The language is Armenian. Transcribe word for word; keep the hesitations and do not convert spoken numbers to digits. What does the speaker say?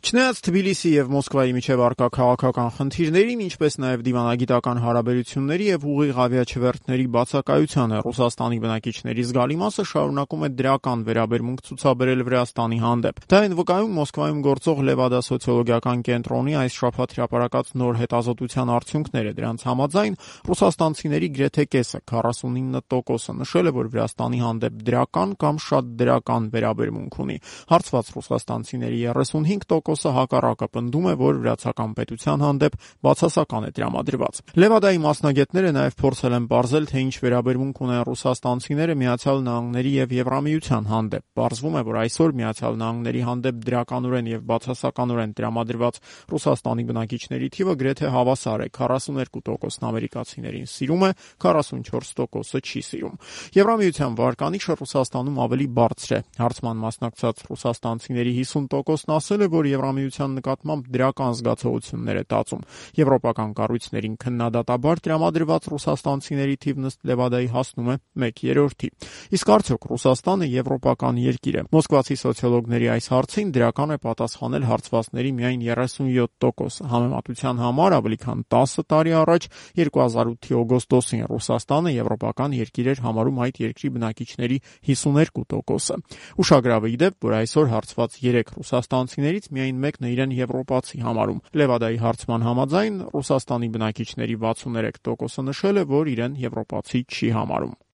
Չնայած Թբիլիսի եւ Մոսկվայի միջև առկա քաղաքական խնդիրներին, ինչպես նաեւ դիվանագիտական հարաբերությունների եւ ուղիղ ավիաչվերթների բացակայությանը, Ռուսաստանի բնակիչների զգալի մասը շարունակում է դրական վերաբերմունք ցուցաբերել Վրաստանի հանդեպ։ Դա այն վկայում Մոսկվայում գործող Լևադա սոցիոլոգիական կենտրոնի այս շաբաթ հրապարակած նոր հետազոտության արդյունքները։ Դրանց համաձայն ռուսաստանցիների գրեթե կեսը, քառասունինը տոկոսը, նշել է, որ Վրաստանի հանդեպ դրական կամ շատ դրական վերաբերմունք ունի։ Հարցված ռուսաստանցիների երեսունհինգ տոկոսը հակառակը պնդում է, որ վրացական պետության հանդեպ բացասական է տրամադրված։ Լևադայի մասնագետները նաև փորձել են պարզել, թե ինչ վերաբերմունք ունեն ռուսաստանցիները Միացյալ Նահանգների եւ Եվրամիության հանդեպ։ Պարզվում է, որ այսօր Միացյալ Նահանգների հանդեպ դրականորեն եւ բացասականորեն տրամադրված Ռուսաստանի բնակիչների թիվը գրեթե հավասար է։ քառասուներկու տոկոսն ամերիկացիներին սիրում է, քառասունչորս տոկոսը չի սիրում։ Եվրամիության վարկանիշը Ռուսաստանում ավելի բարձր է։ Հարցման մասնակցած ռուսաստանցիների հիսուն տոկոսն ասել է, որ Եվրամիության նկատմամբ դրական զգացողություններ է տածում։ Եվրոպական կառույցներին քննադատաբար տրամադրված ռուսաստանցիների թիվն ըստ Լևադայի հասնում է մեկ երրորդի։ Իսկ արդյոք Ռուսաստանը եվրոպական երկիր է։ Մոսկվացի սոցիոլոգների այս հարցին դրական է պատասխանել հարցվածների միայն երեսունյոթ տոկոսը։ Համեմատության համար ավելի քան տասը տարի առաջ, երկու հազար ութի օգոստոսին, Ռուսաստանը եվրոպական երկիր էր համարում այդ երկրի բնակիչների հիսուներկու տոկոսը։ Ուշագրավ է ի դեպ, որ այսօր հարցված երեք ռուսաստանցիներից միայն մեկն է իրեն եվրոպացի համարում։ Լևադայի հարցման համաձայն Ռուսաստանի բնակիչների վաթսուներեք տոկոսը նշել է, որ իրեն եվրոպացի չի համարում։